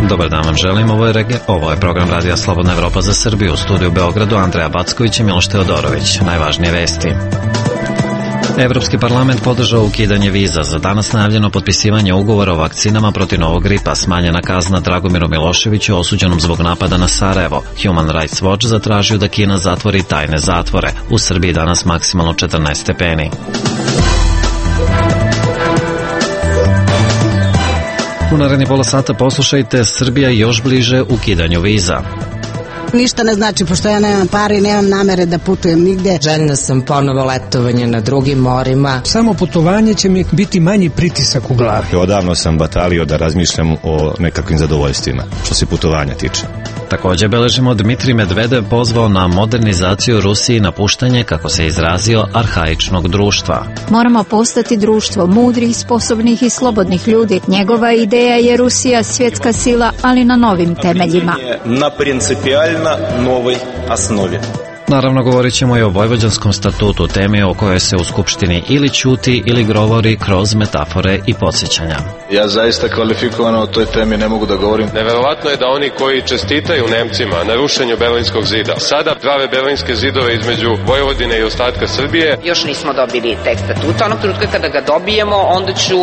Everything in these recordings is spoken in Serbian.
Dobar dan vam želim, ovo je program Radija Slobodna Evropa za Srbiju, u studiju u Beogradu Andreja Backović i Miloš Teodorović. Najvažnije vesti. Evropski parlament podržao ukidanje viza. Za danas najavljeno potpisivanje ugovora o vakcinama protiv novog gripa, smanjena kazna Dragomiru Miloševiću osuđenom zbog napada na Sarajevo. Human Rights Watch zatražio da Kina zatvori tajne zatvore. U Srbiji danas maksimalno 14 stepeni. U naredni pola sata poslušajte, Srbija još bliže ukidanju viza. Ništa ne znači, pošto ja nemam pare i nemam namere da putujem nigde. Željna sam ponovo letovanje na drugim morima. Samo putovanje će mi biti manji pritisak u glavi. Odavno sam batalio da razmišljam o nekakvim zadovoljstvima, što se putovanja tiče. Također beležimo, Dmitrij Medvedev pozvao na modernizaciju Rusiji i napuštanje, kako se izrazio, arhaičnog društva. Moramo postati društvo mudrih, sposobnih i slobodnih ljudi. Njegova ideja je Rusija svjetska sila, ali na novim temeljima. Na principijalno novoj osnovi. Naravno, govorit ćemo i o Vojvođanskom statutu, temi o kojoj se u Skupštini ili ćuti ili govori kroz metafore i podsjećanja. Ja zaista kvalifikovano o toj temi ne mogu da govorim. Neverovatno je da oni koji čestitaju Nemcima na rušenju Berlinskog zida sada prave berlinske zidove između Vojvodine i ostatka Srbije. Još nismo dobili tekst statuta. Onog trenutka kada ga dobijemo, onda ću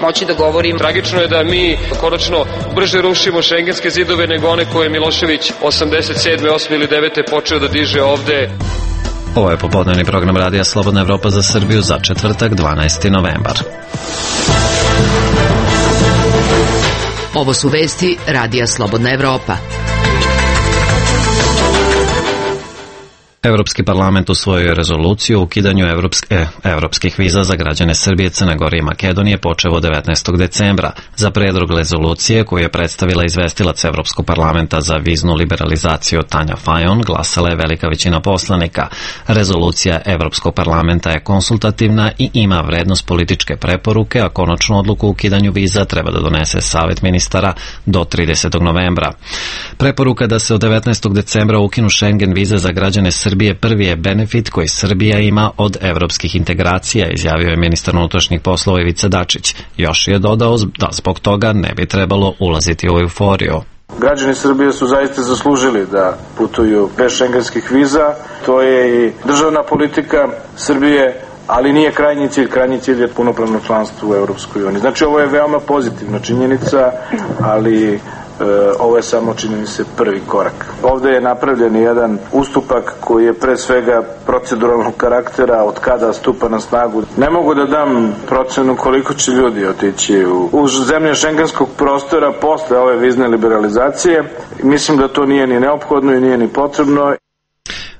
moći da govorim. Tragično je da mi konačno brže rušimo šengenske zidove nego one koje je Milošević 87. 8. ili 9. počeo da diže ovde. Ovo je popodnevni program Radija Slobodna Evropa za Srbiju za četvrtak, 12. novembar. Ovo su vesti Radija Slobodna Evropa. Evropski parlament usvojio rezoluciju o ukidanju evropskih viza za građane Srbije, Crne Gore i Makedonije počev od 19. decembra. Za predlog rezolucije koju je predstavila izvestilac Evropskog parlamenta za viznu liberalizaciju Tanja Fajon glasala je velika većina poslanika. Rezolucija Evropskog parlamenta je konsultativna i ima vrednost političke preporuke, a konačnu odluku o ukidanju viza treba da donese Savet ministara do 30. novembra. Preporuka da se od 19. decembra ukinu Schengen vize za građane Srbije prvi je benefit koji Srbija ima od evropskih integracija, izjavio je ministar unutrašnjih poslova Ivica Dačić. Još je dodao da zbog toga ne bi trebalo ulaziti u euforiju. Građani Srbije su zaista zaslužili da putuju bez šengenskih viza. To je i državna politika Srbije, ali nije krajnji cilj. Krajnji cilj je punopravno članstvo u Evropskoj uniji. Znači, ovo je veoma pozitivna činjenica, ali ovo je samo, čini mi se, prvi korak. Ovde je napravljen jedan ustupak koji je pre svega proceduralnog karaktera, od kada stupa na snagu. Ne mogu da dam procenu koliko će ljudi otići u zemlje šengenskog prostora posle ove vizne liberalizacije. Mislim da to nije ni neophodno i nije ni potrebno.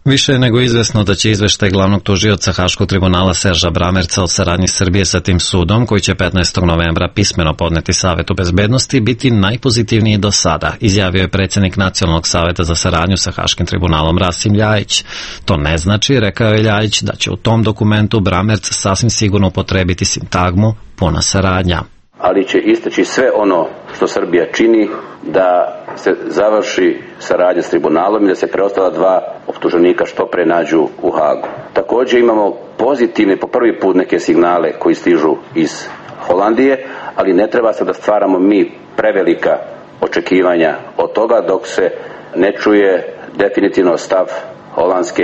Više je nego izvesno da će izveštaj glavnog tužioca Haškog tribunala Serža Bramerca o saradnji Srbije sa tim sudom, koji će 15. novembra pismeno podneti Savetu bezbednosti, biti najpozitivniji do sada, izjavio je predsjednik Nacionalnog saveta za saradnju sa Haškim tribunalom Rasim Ljajić. To ne znači, rekao je Ljajić, da će u tom dokumentu Bramerc sasvim sigurno upotrebiti sintagmu puna saradnja. Ali će istaći sve ono što Srbija čini da se završi saradnja s tribunalom i da se preostala dva optuženika što pre nađu u Hagu. Također imamo pozitivne po prvi put neke signale koji stižu iz Holandije, ali ne treba se da stvaramo mi prevelika očekivanja od toga dok se ne čuje definitivno stav holandske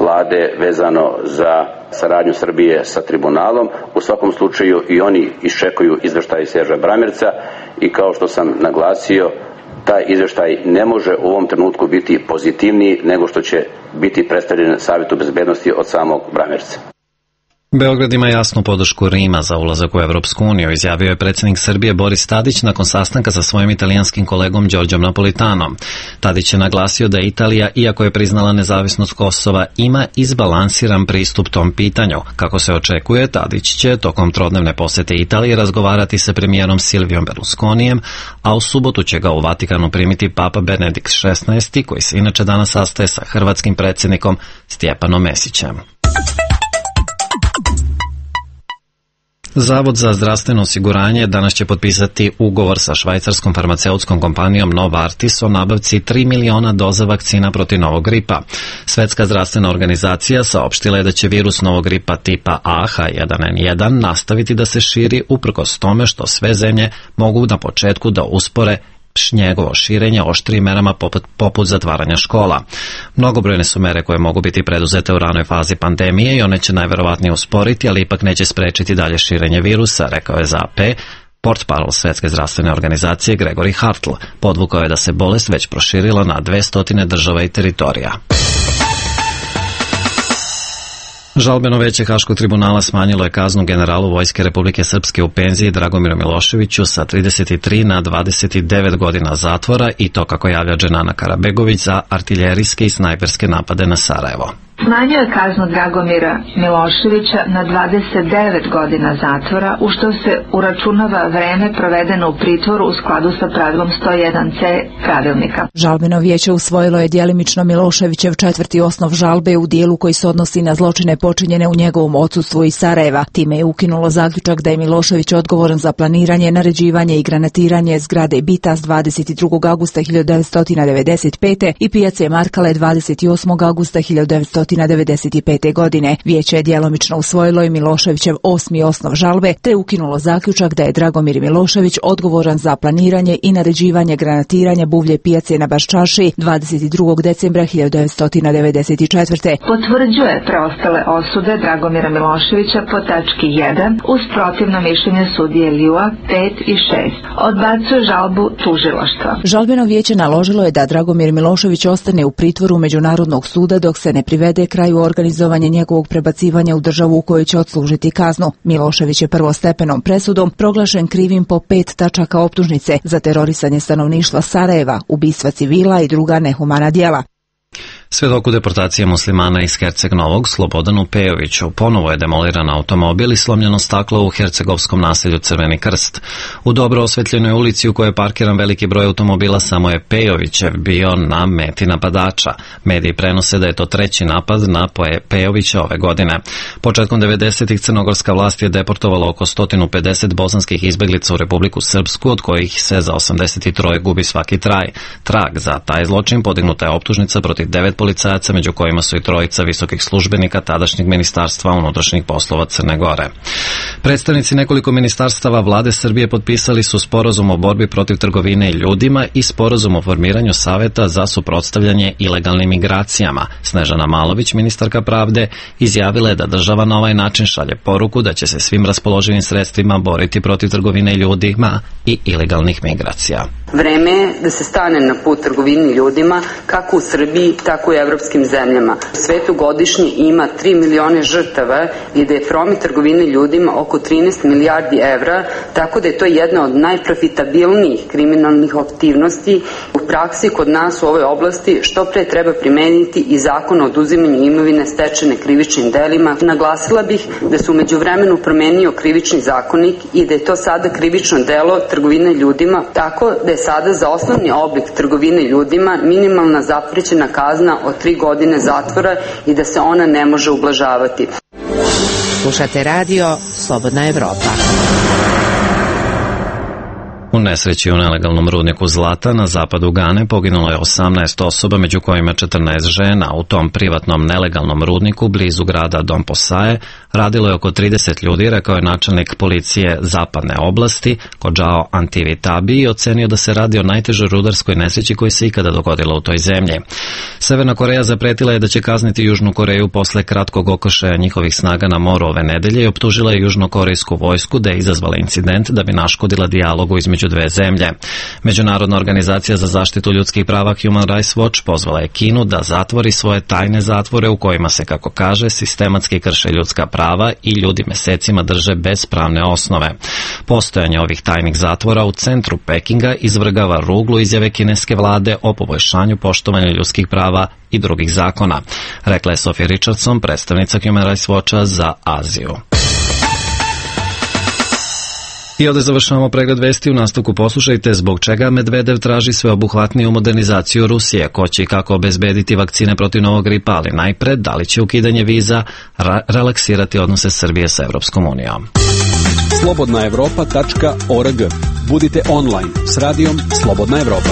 vlade vezano za saradnju Srbije sa tribunalom. U svakom slučaju i oni iščekuju izveštaj Serža Bramerca i kao što sam naglasio, taj izveštaj ne može u ovom trenutku biti pozitivniji nego što će biti predstavljen Savetu bezbednosti od samog Bramerca. Beograd ima jasnu podršku Rima za ulazak u Evropsku uniju, izjavio je predsjednik Srbije Boris Tadić nakon sastanka sa svojim italijanskim kolegom Đorđom Napolitanom. Tadić je naglasio da Italija, iako je priznala nezavisnost Kosova, ima izbalansiran pristup tom pitanju. Kako se očekuje, Tadić će tokom trodnevne posete Italije razgovarati sa premijerom Silvijom Berlusconijem, a u subotu će ga u Vatikanu primiti Papa Benedikt XVI, koji se inače danas sastaje sa hrvatskim predsjednikom Stjepanom Mesićem. Zavod za zdravstveno osiguranje danas će potpisati ugovor sa švajcarskom farmaceutskom kompanijom Novartis o nabavci 3 miliona doza vakcina protiv novog gripa. Svetska zdravstvena organizacija saopštila je da će virus novog gripa tipa A H1N1 nastaviti da se širi uprkos tome što sve zemlje mogu na početku da uspore njegovo širenje oštrijim merama poput zatvaranja škola. Mnogobrojne su mere koje mogu biti preduzete u ranoj fazi pandemije i one će najverovatnije usporiti, ali ipak neće sprečiti dalje širenje virusa, rekao je za AP portparol Svetske zdravstvene organizacije Gregory Hartl. Podvukao je da se bolest već proširila na 200 država i teritorija. Žalbeno veće Haškog tribunala smanjilo je kaznu generalu Vojske Republike Srpske u penziji Dragomiru Miloševiću sa 33 na 29 godina zatvora i to, kako javlja Dženana Karabegović, za artiljerijske i snajperske napade na Sarajevo. Smanjio je kaznu Dragomira Miloševića na 29 godina zatvora, u što se uračunava vreme provedeno u pritvoru u skladu sa pravilom 101c pravilnika. Žalbeno vijeće usvojilo je djelimično Miloševićev četvrti osnov žalbe u dijelu koji se odnosi na zločine počinjene u njegovom odsustvu iz Sarajeva. Time je ukinulo zaključak da je Milošević odgovoran za planiranje, naređivanje i granatiranje zgrade Bitas 22. augusta 1995. i pijace Markale 28. augusta 1995. godine. Vijeće je djelomično usvojilo i Miloševićev osmi osnov žalbe, te ukinulo zaključak da je Dragomir Milošević odgovoran za planiranje i naređivanje granatiranja buvlje pijace na Baščaši 22. decembra 1994. Potvrđuje preostale osude Dragomira Miloševića po tački 1 uz protivno mišljenje sudije Ljua 5 i 6. Odbacuje žalbu tužilaštva. Žalbeno vijeće naložilo je da Dragomir Milošević ostane u pritvoru Međunarodnog suda dok se ne privede kraju organizovanje njegovog prebacivanja u državu u kojoj će odslužiti kaznu. Milošević je prvostepenom presudom proglašen krivim po 5 tačaka optužnice za terorisanje stanovništva Sarajeva, ubistva civila i druga nehumana djela. Svjedok u deportacije muslimana iz Herceg Novog, Slobodanu Pejoviću, ponovo je demoliran automobil i slomljeno staklo u hercegovskom naselju Crveni krst. U dobro osvetljenoj ulici u kojoj je parkiran veliki broj automobila samo je Pejovićev bio na meti napadača. Mediji prenose da je to treći napad na Pejovića ove godine. Početkom 90-ih crnogorska vlast je deportovala oko 150 bosanskih izbeglica u Republiku Srpsku, od kojih se za 83 gubi svaki trag. Za taj zločin podignuta je optužnica protiv 9 policajaca, među kojima su i trojica visokih službenika tadašnjeg ministarstva unutrašnjih poslova Crne Gore. Predstavnici nekoliko ministarstava vlade Srbije potpisali su sporazum o borbi protiv trgovine ljudima i sporazum o formiranju saveta za suprotstavljanje ilegalnim migracijama. Snežana Malović, ministarka pravde, izjavila je da država na ovaj način šalje poruku da će se svim raspoloživim sredstvima boriti protiv trgovine ljudima i ilegalnih migracija. Vreme je da se stane na put trgovini ljudima, kako u Srbiji, tako i u evropskim zemljama. U svetu godišnje ima 3 milione žrtava i da je promet trgovine ljudima oko 13 milijardi evra, tako da je to jedna od najprofitabilnijih kriminalnih aktivnosti. U praksi kod nas u ovoj oblasti što pre treba primeniti i zakon o oduzimanju imovine stečene krivičnim delima. Naglasila bih da se u međuvremenu promenio krivični zakonik i da je to sada krivično delo trgovine ljudima, tako da je sada za osnovni oblik trgovine ljudima minimalna zaprećena kazna od 3 godine zatvora i da se ona ne može ublažavati. Slušate radio Slobodna Evropa. U nesreći u nelegalnom rudniku zlata na zapadu Gane poginulo je 18 osoba, među kojima 14 žena. U tom privatnom nelegalnom rudniku blizu grada Dom Posaje radilo je oko 30 ljudi, rekao je načelnik policije zapadne oblasti Kodžao Antivitabi i ocenio da se radi o najtežoj rudarskoj nesreći koji se ikada dogodila u toj zemlji. Severna Koreja zapretila je da će kazniti Južnu Koreju posle kratkog okršaja njihovih snaga na moru ove nedelje i optužila je južnokorejsku vojsku da je izazvala incident da bi naškodila dijalogu između dve zemlje. Međunarodna organizacija za zaštitu ljudskih prava Human Rights Watch pozvala je Kinu da zatvori svoje tajne zatvore u kojima se, kako kaže, sistematski krše ljudska prava i ljudi mesecima drže bez pravne osnove. Postojanje ovih tajnih zatvora u centru Pekinga izvrgava ruglu izjave kineske vlade o poboljšanju poštovanja ljudskih prava i drugih zakona, rekla je Sophie Richardson, predstavnica Human Rights Watcha za Aziju. I ovdje završavamo pregled vesti. U nastavku poslušajte zbog čega Medvedev traži sveobuhvatniju modernizaciju Rusije, ko će i kako obezbediti vakcine protiv novog gripa, ali najpred da li će ukidanje viza relaksirati odnose Srbije sa Evropskom unijom. Slobodnaevropa.org. Budite online s radijom Slobodna Evropa.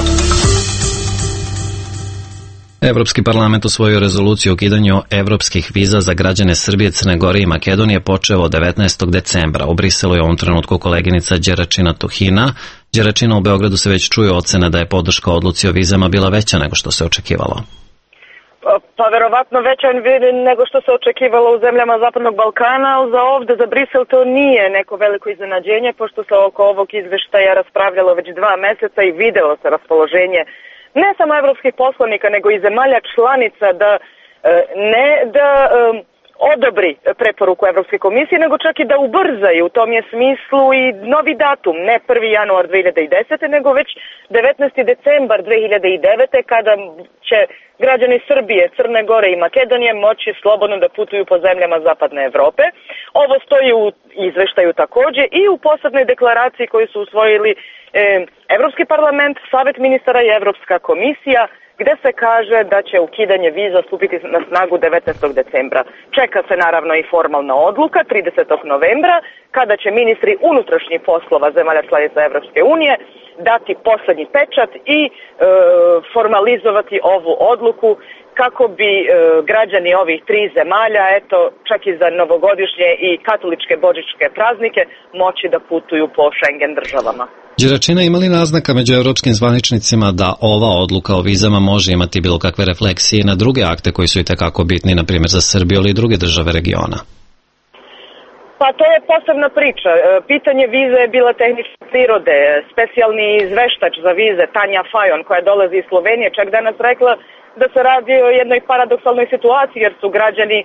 Evropski parlament usvojio rezoluciju o ukidanju evropskih viza za građane Srbije, Crne Gore i Makedonije počeo od 19. decembra. U Briselu je u ovom trenutku koleginica Đeračina Tuhina Đeračina, u Beogradu se već čuje ocena da je podrška odluci o vizama bila veća nego što se očekivalo. Pa verovatno veća nego što se očekivalo u zemljama Zapadnog Balkana, ali za ovde, za Brisel, to nije neko veliko iznenađenje, pošto se oko ovog izveštaja raspravljalo već 2 meseca i videlo se raspoloženje ne samo evropskih poslanika, nego i zemalja članica da odobri preporuku Evropske komisije, nego čak i da ubrzaju. U tom je smislu i novi datum, ne 1. januar 2010. nego već 19. decembar 2009. kada će građani Srbije, Crne Gore i Makedonije moći slobodno da putuju po zemljama Zapadne Evrope. Ovo stoji u izveštaju takođe i u posebnoj deklaraciji koju su usvojili Evropski parlament, Savet ministara i Evropska komisija, gde se kaže da će ukidanje viza stupiti na snagu 19. decembra. Čeka se naravno i formalna odluka 30. novembra, kada će ministri unutrašnjih poslova zemalja članica Evropske unije dati poslednji pečat i formalizovati ovu odluku kako bi građani ovih 3 zemalja, čak i za novogodišnje i katoličke božićke praznike, moći da putuju po Schengen državama. Đeračina, ima li naznaka među evropskim zvaničnicima da ova odluka o vizama može imati bilo kakve refleksije na druge akte koji su i tekako bitni, na primjer za Srbiju ili druge države regiona? Pa to je posebna priča. Pitanje vize je bila tehničke prirode. Specijalni izveštač za vize, Tanja Fajon, koja dolazi iz Slovenije, čak danas rekla da se radi o jednoj paradoksalnoj situaciji, jer su građani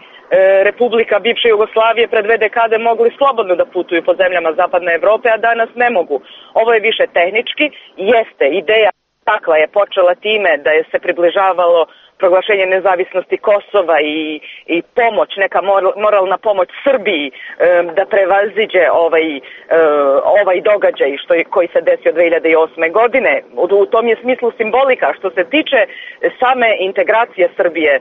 Republika bivše Jugoslavije pred 2 dekade mogli slobodno da putuju po zemljama Zapadne Evrope, a danas ne mogu. Ovo je više tehnički, jeste ideja takva je počela time da je se približavalo proglašenje nezavisnosti Kosova i pomoć, neka moralna pomoć Srbiji da prevaziđe ovaj događaj koji se desio 2008. godine. U tom je smislu simbolika. Što se tiče same integracije Srbije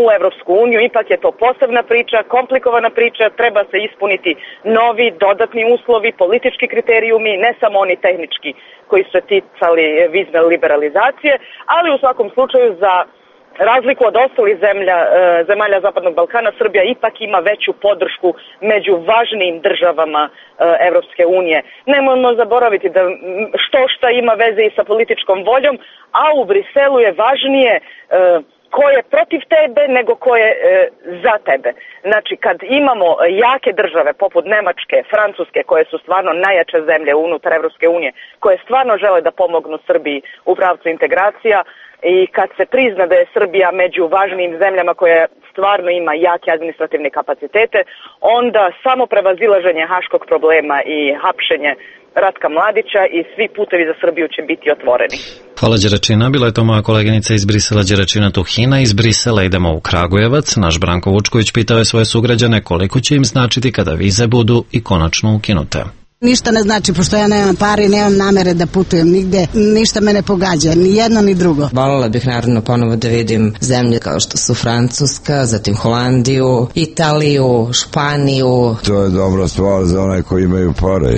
u Evropsku uniju, ipak je to posebna priča, komplikovana priča, treba se ispuniti novi, dodatni uslovi, politički kriterijumi, ne samo oni tehnički koji su se ticali vizne liberalizacije, ali u svakom slučaju za razliku od ostalih zemalja Zapadnog Balkana, Srbija ipak ima veću podršku među važnijim državama Evropske unije. Nemojmo zaboraviti da što ima veze i sa političkom voljom, a u Briselu je važnije ko je protiv tebe nego ko je za tebe. Znači, kad imamo jake države poput Nemačke, Francuske, koje su stvarno najjače zemlje unutar Evropske unije, koje stvarno žele da pomognu Srbiji u pravcu integracija, i kad se prizna da je Srbija među važnijim zemljama koje stvarno ima jake administrativne kapacitete, onda samo prevazilaženje haškog problema i hapšenje Ratka Mladića i svi putevi za Srbiju će biti otvoreni. Hvala Đeračina, bila je to moja koleginica iz Brisela Đeračina Tuhina. Iz Brisela idemo u Kragujevac. Naš Branko Vučković pitao je svoje sugrađane koliko će im značiti kada vize budu i konačno ukinute. Ništa ne znači, pošto ja nemam pare i nemam namere da putujem nigde, ništa me ne pogađa, ni jedno ni drugo. Voljela bih naravno ponovo da vidim zemlje kao što su Francuska, zatim Holandiju, Italiju, Španiju. To je dobra stvar za one koji imaju pare,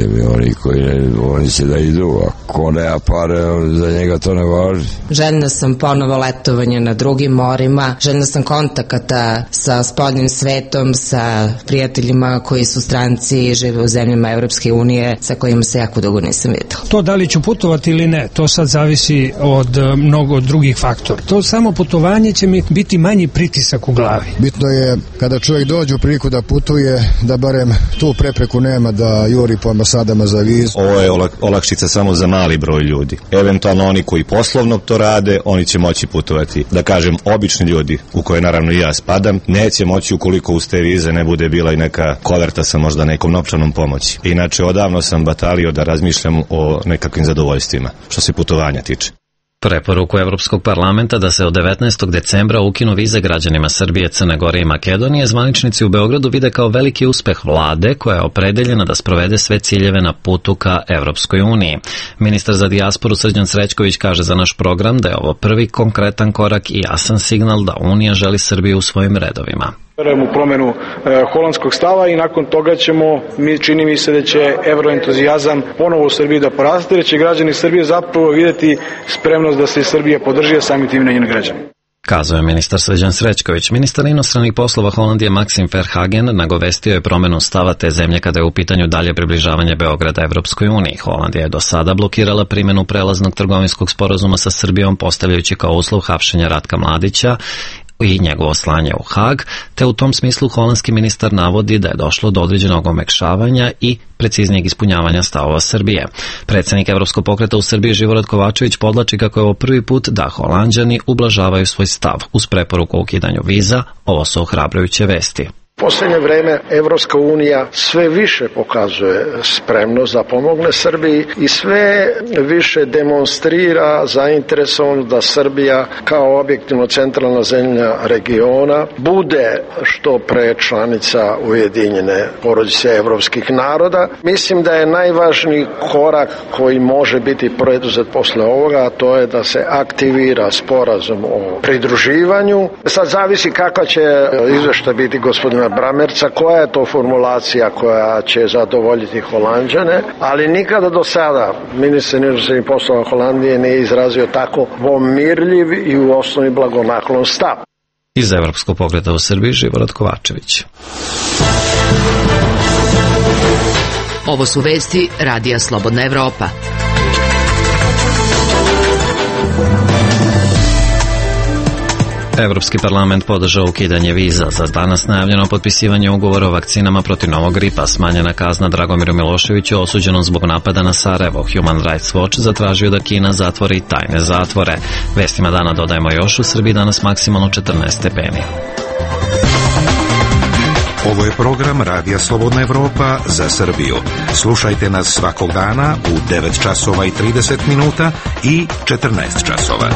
oni će da idu, a ko nema pare, za njega to ne važi. Željna sam ponovo letovanje na drugim morima, željna sam kontakata sa spoljnim svetom, sa prijateljima koji su stranci i žive u zemljama Evropske unije, sa kojima se jako dugo nisam videla. To da li ću putovati ili ne, to sad zavisi od mnogo drugih faktora. To samo putovanje će mi biti manji pritisak u glavi. Bitno je kada čovjek dođe u priliku da putuje, da barem tu prepreku nema da juri po ambasadama za vizu. Ovo je olakšica samo za mali broj ljudi. Eventualno oni koji poslovno to rade, oni će moći putovati. Da kažem, obični ljudi, u koje naravno i ja spadam, neće moći ukoliko uz te vize ne bude bila i neka koverta sa možda nekom novčanom pomoći. Inače, odavno sam batalio da razmišljam o nekakvim zadovoljstvima, što se putovanja tiče. Preporuku Evropskog parlamenta da se od 19. decembra ukinu vize građanima Srbije, Crne Gore i Makedonije zvaničnici u Beogradu vide kao veliki uspeh vlade koja je opredeljena da sprovede sve ciljeve na putu ka Evropskoj uniji. Ministar za dijasporu Srđan Srećković kaže za naš program da je ovo prvi konkretan korak i jasan signal da Unija želi Srbiju u svojim redovima. Verujem u promenu holandskog stava i nakon toga čini mi se da će evroentuzijazam ponovo u Srbiji da poraste, jer će građani Srbije zapravo vidjeti spremnost da se Srbija podrži, a samim tim na njene građane. Kazao je ministar Srđan Srećković. Ministar inostranih poslova Holandije Maksim Verhagen nagovestio je promenu stava te zemlje kada je u pitanju dalje približavanje Beograda Evropskoj uniji. Holandija je do sada blokirala primjenu prelaznog trgovinskog sporazuma sa Srbijom, postavljajući kao uslov hapšenja Ratka Mladića i njegovo slanje u Hag, te u tom smislu holandski ministar navodi da je došlo do određenog omekšavanja i preciznijeg ispunjavanja stavova Srbije. Predsednik Evropskog pokreta u Srbiji Živorad Kovačević podlači kako je ovo prvi put da Holanđani ublažavaju svoj stav uz preporuku o ukidanju viza. Ovo su ohrabrujuće vesti. Poslednje vreme Evropska unija sve više pokazuje spremnost da pomogne Srbiji i sve više demonstrira zainteresovanost da Srbija kao objektivno centralna zemlja regiona bude što pre članica Ujedinjene porodice evropskih naroda. Mislim da je najvažniji korak koji može biti preduzet posle ovoga, a to je da se aktivira sporazum o pridruživanju. Sad zavisi kakva će izveštaj biti gospodina Bramerca, koja je to formulacija koja će zadovoljiti Holanđane, ali nikada do sada ministar inostranih poslova Holandije nije izrazio tako pomirljiv i u osnovi blagonaklon stav. Iz Evropskog pokreta u Srbiji Živorad Kovačević. Ovo su vesti Radija Slobodna Evropa. Evropski parlament podržao ukidanje viza. Za danas najavljeno potpisivanje ugovora o vakcinama protiv novog gripa. Smanjena kazna Dragomiru Miloševiću osuđenom zbog napada na Sarajevo. Human Rights Watch zatražio da Kina zatvori tajne zatvore. Vestima dana dodajemo još, u Srbiji danas maksimalno 14 stepeni. Ovo je program Radija Slobodna Evropa za Srbiju. Slušajte nas svakog dana u 9 časova i 30 minuta i 14 časova.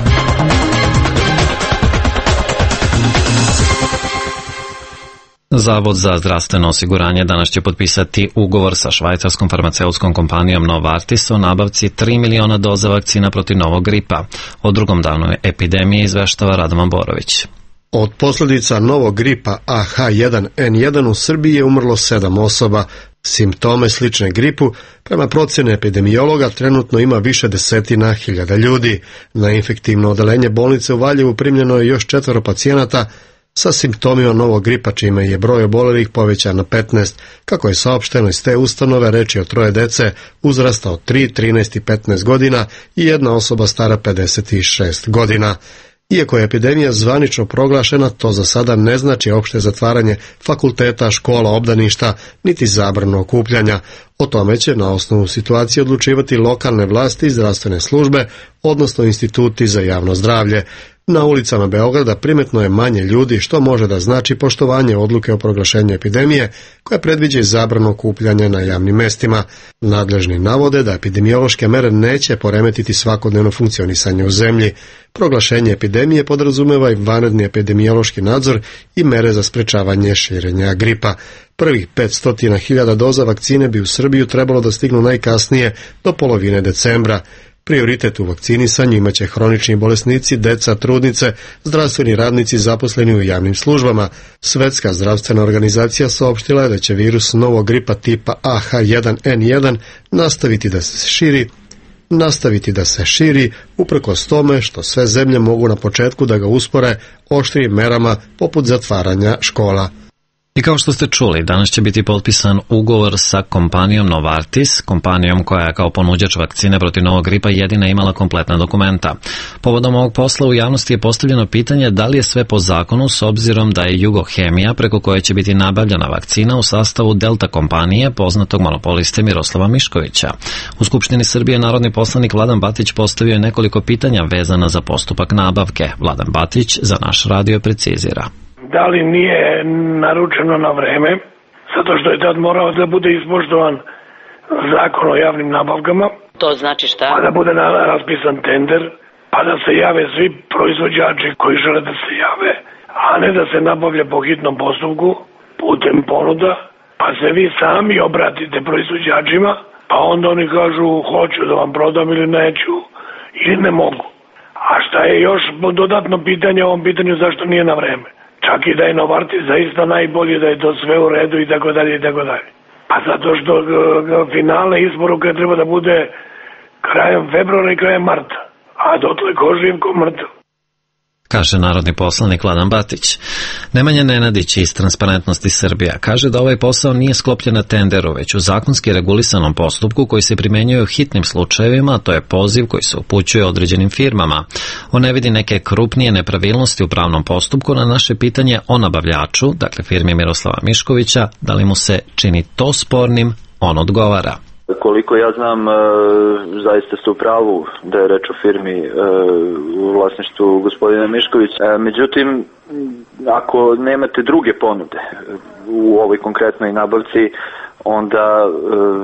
Zavod za zdravstveno osiguranje danas će potpisati ugovor sa švajcarskom farmaceutskom kompanijom Novartis o nabavci 3 miliona doza vakcina protiv novog gripa. O drugom danu epidemije izveštava Radovan Borović. Od posljedica novog gripa AH1N1 u Srbiji je umrlo 7 osoba. Simptome slične gripu, prema procjeni epidemiologa, trenutno ima više desetina hiljada ljudi. Na infektivno odeljenje bolnice u Valjevu primljeno je još 4 pacijenata sa simptomima novog gripa, čime je broj obolelih povećan na 15. Kako je saopšteno iz te ustanove, reč je o 3 dece uzrasta od 3, 13 i 15 godina i jedna osoba stara 56 godina. Iako je epidemija zvanično proglašena, to za sada ne znači opšte zatvaranje fakulteta, škola, obdaništa, niti zabranu okupljanja. O tome će na osnovu situacije odlučivati lokalne vlasti i zdravstvene službe, odnosno instituti za javno zdravlje. Na ulicama Beograda primetno je manje ljudi, što može da znači poštovanje odluke o proglašenju epidemije, koja predviđa i zabranu okupljanja na javnim mestima. Nadležni navode da epidemiološke mere neće poremetiti svakodnevno funkcionisanje u zemlji. Proglašenje epidemije podrazumeva i vanredni epidemiološki nadzor i mere za sprečavanje širenja gripa. Prvih 500.000 doza vakcine bi u Srbiju trebalo da stignu najkasnije do polovine decembra. Prioritet u vakcinisanju imaće hronični bolesnici, deca, trudnice, zdravstveni radnici zaposleni u javnim službama. Svetska zdravstvena organizacija saopštila je da će virus novog gripa tipa AH1N1 nastaviti da se širi uprkos tome što sve zemlje mogu na početku da ga uspore oštrim merama poput zatvaranja škola. I kao što ste čuli, danas će biti potpisan ugovor sa kompanijom Novartis, kompanijom koja je kao ponuđač vakcine protiv novog gripa jedina imala kompletna dokumenta. Povodom ovog posla u javnosti je postavljeno pitanje da li je sve po zakonu s obzirom da je Jugohemija, preko koje će biti nabavljena vakcina, u sastavu Delta kompanije, poznatog monopoliste Miroslava Miškovića. U Skupštini Srbije narodni poslanik Vladan Batić postavio je nekoliko pitanja vezana za postupak nabavke. Vladan Batić za naš radio precizira. Da li nije naručeno na vreme, zato što je tad morao da bude ispoštovan zakon o javnim nabavkama. To znači šta? Pa da bude raspisan tender, pa da se jave svi proizvođači koji žele da se jave, a ne da se nabavlja po hitnom postupku, putem ponuda, pa se vi sami obratite proizvođačima, pa onda oni kažu hoću da vam prodam ili neću, ili ne mogu. A šta je još dodatno pitanje o ovom pitanju, zašto nije na vreme? Čak i da je Novartis zaista najbolji, da je to sve u redu i tako dalje i tako dalje. Pa zato što finalna isporuka treba da bude krajem februara i krajem marta, a dotle ko živ ko mrtav. kaže narodni poslanik Vladan Batić. Nemanja Nenadić iz Transparentnosti Srbija kaže da ovaj posao nije sklopljen na tenderu, već u zakonski regulisanom postupku koji se primenjuje u hitnim slučajevima, a to je poziv koji se upućuje određenim firmama. On ne vidi neke krupnije nepravilnosti u pravnom postupku. Na naše pitanje o nabavljaču, dakle firmi Miroslava Miškovića, da li mu se čini to spornim, on odgovara. Koliko ja znam, zaista ste u pravu da je reč o firmi u vlasništvu gospodina Miškovića. Međutim, ako nemate druge ponude u ovoj konkretnoj nabavci, onda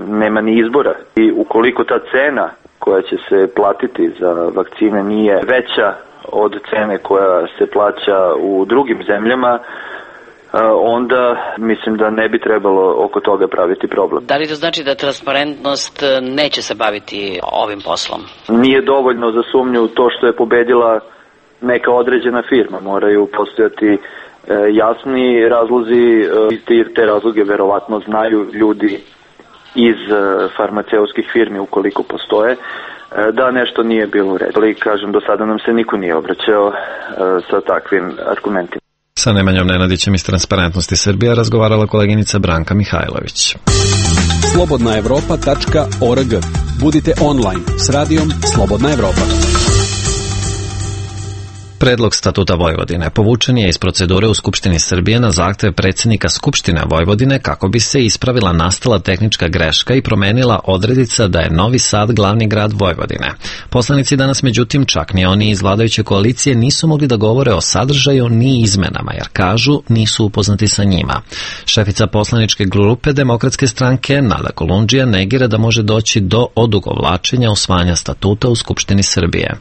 nema ni izbora. I ukoliko ta cena koja će se platiti za vakcine nije veća od cene koja se plaća u drugim zemljama, onda mislim da ne bi trebalo oko toga praviti problem. Da li to znači da Transparentnost neće se baviti ovim poslom? Nije dovoljno za sumnju to što je pobedila neka određena firma. Moraju postojati jasni razlozi, te razloge verovatno znaju ljudi iz farmaceutskih firmi ukoliko postoje, da nešto nije bilo u redu. Ali kažem, do sada nam se niko nije obraćao sa takvim argumentima. Sa Nemanjom Nenadićem iz Transparentnosti Srbija razgovarala koleginica Branka Mihajlović. slobodnaevropa.org. Budite online s radijom Slobodna Evropa. Predlog statuta Vojvodine povučen je iz procedure u Skupštini Srbije na zahtev predsjednika Skupštine Vojvodine kako bi se ispravila nastala tehnička greška i promenila odredica da je Novi Sad glavni grad Vojvodine. Poslanici danas, međutim, čak ni oni iz vladajuće koalicije nisu mogli da govore o sadržaju ni izmenama, jer kažu nisu upoznati sa njima. Šefica poslaničke grupe Demokratske stranke Nada Kolundžija negira da može doći do odugovlačenja usvajanja statuta u Skupštini Srbije.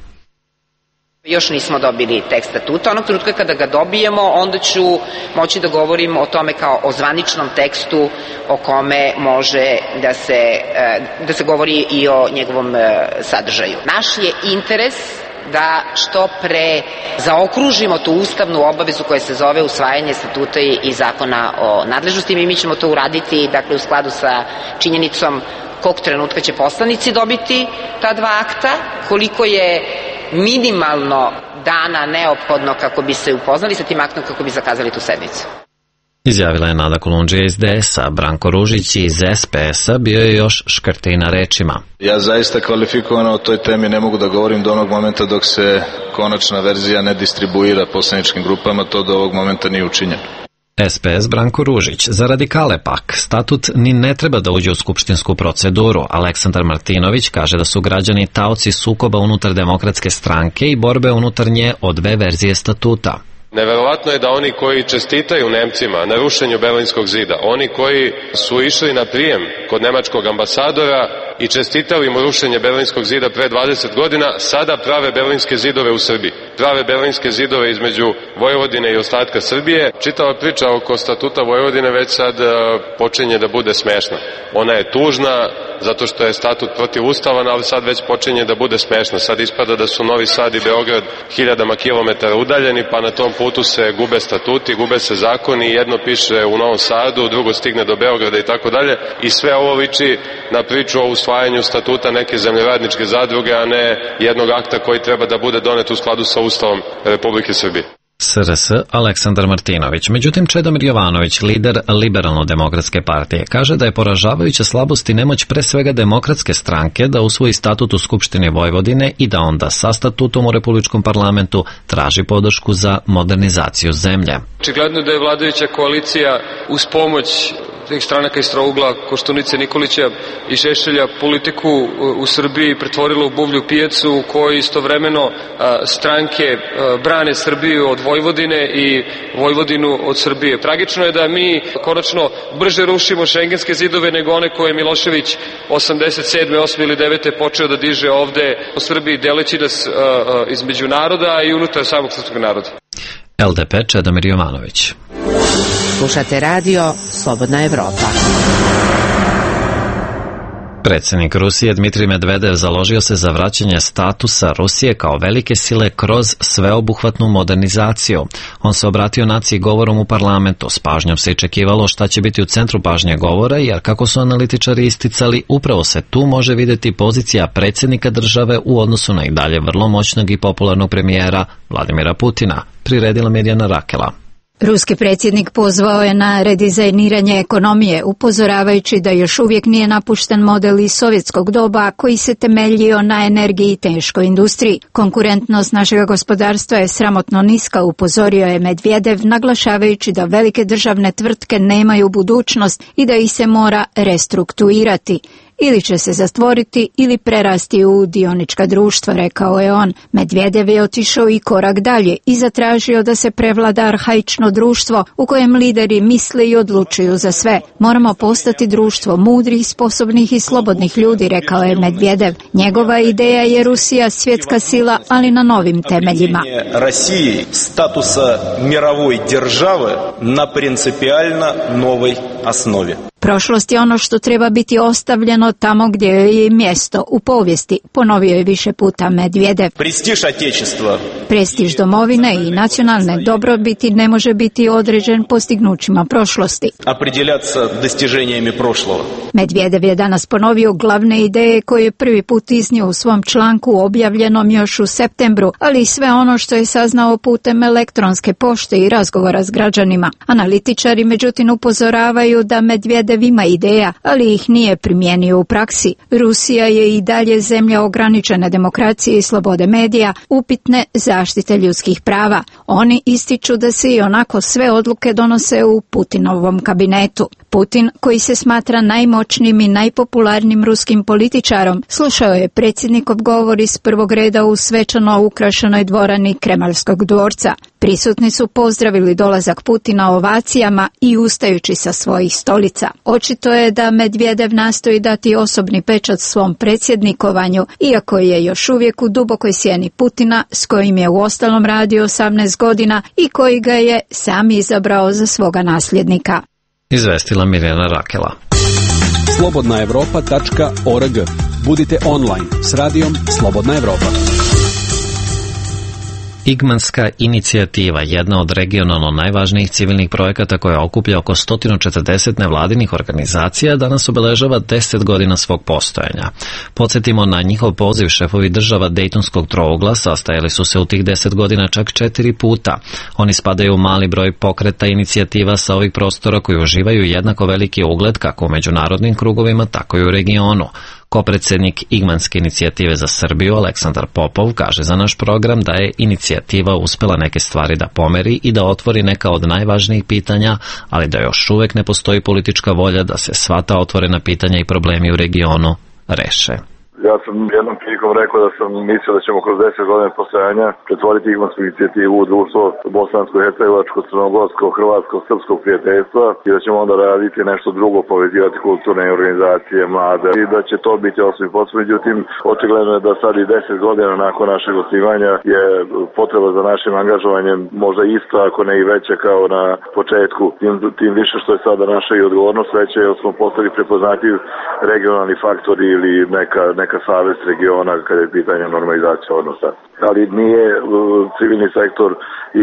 Još nismo dobili tekst statuta. Onog trenutka kada ga dobijemo, onda ću moći da govorim o tome kao o zvaničnom tekstu o kome može da se govori i o njegovom sadržaju. Naš je interes da što pre zaokružimo tu ustavnu obavezu koja se zove usvajanje statuta i zakona o nadležnostima i mi ćemo to uraditi, dakle, u skladu sa činjenicom kog trenutka će poslanici dobiti ta dva akta, koliko je minimalno dana neophodno kako bi se upoznali sa tim aktom, kako bi zakazali tu sednicu. Izjavila je Nada Kolundžija iz DS-a. Branko Ružić iz SPS-a bio je još škrtiji na rečima. Ja zaista kvalifikovano o toj temi ne mogu da govorim do onog momenta dok se konačna verzija ne distribuira poslaničkim grupama, to do ovog momenta nije učinjeno. SPS Branko Ružić. Za radikale pak, statut ni ne treba da uđe u skupštinsku proceduru. Aleksandar Martinović kaže da su građani taoci sukoba unutar Demokratske stranke i borbe unutar nje o dve verzije statuta. Neverovatno je da oni koji čestitaju Nemcima na rušenju Berlinskog zida, oni koji su išli na prijem kod nemačkog ambasadora i čestitali mu rušenje Berlinskog zida pre 20 godina, sada prave berlinske zidove u Srbiji. Prave berlinske zidove između Vojvodine i ostatka Srbije. Čitava priča oko statuta Vojvodine već sad počinje da bude smešna. Ona je tužna zato što je statut protivustavan, ali sad već počinje da bude smešna. Sad ispada da su Novi Sad i Beograd hiljadama kilometara udaljeni, pa na tom putu se gube statuti, gube se zakoni, jedno piše u Novom Sadu, drugo stigne do Beograda i tako dalje. I sve ovo liči na priču o usvajanju statuta neke zemljoradničke zadruge, a ne jednog akta koji treba da bude donet u skladu sa Ustavom Republike Srbije. SRS Aleksandar Martinović. Međutim, Čedomir Jovanović, lider Liberalno-demokratske partije, kaže da je poražavajuća slabost i nemoć pre svega Demokratske stranke da usvoji statut u Skupštini Vojvodine i da onda sa statutom u Republičkom parlamentu traži podršku za modernizaciju zemlje. Očigledno da je vladajuća koalicija uz pomoć tih stranaka iz trougla Koštunice, Nikolića i Šešelja politiku u Srbiji pretvorila u buvlju pijacu u kojoj istovremeno stranke brane Srbiju od Vojvodine i Vojvodinu od Srbije. Tragično je da mi konačno brže rušimo šengenske zidove nego one koje je Milošević 87. 8. ili 9. počeo da diže ovde u Srbiji, deleći nas između naroda i unutar samog srpskog naroda. LDP Čedomir Jovanović. Slušate radio Slobodna Evropa. Predsjednik Rusije Dmitrij Medvedev založio se za vraćanje statusa Rusije kao velike sile kroz sveobuhvatnu modernizaciju. On se obratio naciji govorom u parlamentu. S pažnjom se iščekivalo šta će biti u centru pažnje govora, jer kako su analitičari isticali, upravo se tu može vidjeti pozicija predsjednika države u odnosu na i dalje vrlo moćnog i popularnog premijera Vladimira Putina, priredila Mirjana Rakela. Ruski predsjednik pozvao je na redizajniranje ekonomije, upozoravajući da još uvijek nije napušten model iz sovjetskog doba koji se temeljio na energiji i teškoj industriji. Konkurentnost našeg gospodarstva je sramotno niska, upozorio je Medvedev, naglašavajući da velike državne tvrtke nemaju budućnost i da ih se mora restrukturirati. Ili će se zatvoriti ili prerasti u dionička društva, rekao je on. Medvedev je otišao i korak dalje i zatražio da se prevlada arhaično društvo u kojem lideri misle i odlučuju za sve. Moramo postati društvo mudrih, sposobnih i slobodnih ljudi, rekao je Medvedev. Njegova ideja je Rusija svjetska sila, ali na novim temeljima. Rusiji statusa mirovoj države na principijalno novoj osnovi. Prošlost je ono što treba biti ostavljeno tamo gdje je i mjesto, u povijesti, ponovio je više puta Medvedev. Prestiž Otečestva. Prestiž domovine i nacionalne dobrobiti ne može biti određen postignućima prošlosti. Opredjeljat se dostiženjima prošloga. Medvedev je danas ponovio glavne ideje koje je prvi put iznio u svom članku objavljenom još u septembru, ali i sve ono što je saznao putem elektronske pošte i razgovora s građanima. Analitičari međutim upozoravaju da Medvedev ima ideja, ali ih nije primijenio u praksi. Rusija je i dalje zemlja ograničene demokracije i slobode medija, upitne zaštite ljudskih prava. Oni ističu da se i onako sve odluke donose u Putinovom kabinetu. Putin, koji se smatra najmoćnijim i najpopularnijim ruskim političarom, slušao je predsjednikov govor iz prvog reda u svečano ukrašenoj dvorani Kremaljskog dvorca. Prisutni su pozdravili dolazak Putina ovacijama i ustajući sa svojih stolica. Očito je da Medvedev nastoji dati osobni pečat svom predsjednikovanju, iako je još uvijek u dubokoj sjeni Putina, s kojim je uostalom radio 18 godina i koji ga je sam izabrao za svoga nasljednika. Izvestila Mirjana Rakela. slobodnaevropa.org. Budite online s radijom Slobodna Evropa. Igmanska inicijativa, jedna od regionalno najvažnijih civilnih projekata koja okuplja oko 140 nevladinih organizacija, danas obeležava 10 godina svog postojanja. Podsjetimo, na njihov poziv šefovi država Dejtonskog trougla sastajali su se u tih 10 godina čak 4 puta. Oni spadaju u mali broj pokreta inicijativa sa ovih prostora koji uživaju jednako veliki ugled kako u međunarodnim krugovima, tako i u regionu. Kopredsjednik Igmanske inicijative za Srbiju Aleksandar Popov kaže za naš program da je inicijativa uspjela neke stvari da pomeri i da otvori neka od najvažnijih pitanja, ali da još uvijek ne postoji politička volja da se sva ta otvorena pitanja i problemi u regionu reše. Ja sam jednom prilikom rekao da sam mislio da ćemo kroz 10 godina postojanja pretvoriti Igmansku inicijativu u društvo bosansko-hercegovačko, crnogorsko, hrvatsko, srpskog prijateljstva i da ćemo onda raditi nešto drugo, povezivati kulturne organizacije, mlade i da će to biti osnovni posao. Međutim, očigledno je da sad i 10 godina nakon našeg osnivanja je potreba za našim angažovanjem možda ista, ako ne i veća kao na početku. Tim više što je sada naša i odgovornost veća, jer smo postali prepoznatljiv regionalni faktori ili neka savez regiona kada je pitanje normalizacije odnosa. Ali nije civilni sektor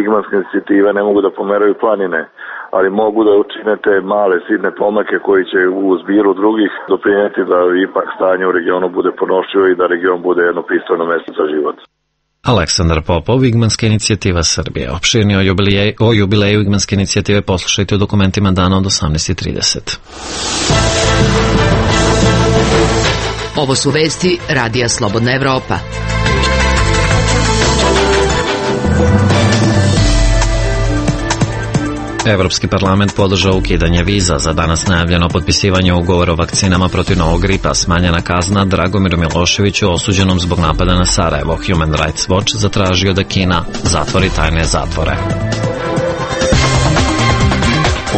Igmanske inicijative ne mogu da pomeraju planine, ali mogu da učine te male sitne pomake koji će u zbiru drugih doprinijeti da ipak stanje u regionu bude ponošljivo i da region bude jedno pristojno mjesto za život. Aleksandar Popov, Igmanska inicijativa Srbije. Opširnije o jubileju Igmanske inicijative poslušajte u dokumentima dana od 18:30. Ovo su vesti Radija Slobodna Evropa. Evropski parlament podržao ukidanje viza. Za danas najavljeno potpisivanje ugovora o vakcinama protiv novog gripa, smanjena kazna Dragomiru Miloševiću osuđenom zbog napada na Sarajevo. Human Rights Watch zatražio da Kina zatvori tajne zatvore.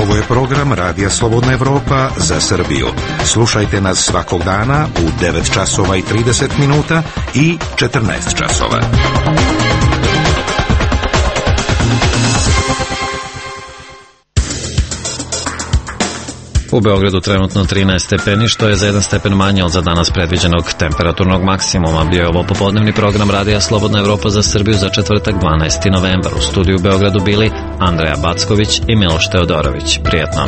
Ovo je program Radija Slobodna Evropa za Srbiju. Slušajte nas svakog dana u 9 časova i 30 minuta i 14 časova. U Beogradu trenutno 13 stepeni, što je za 1 stepen manje od za danas predviđenog temperaturnog maksimuma. Bio je ovo popodnevni program Radija Slobodna Evropa za Srbiju za četvrtak 12. novembar. U studiju u Beogradu bili Andreja Backović i Miloš Teodorović. Prijetno.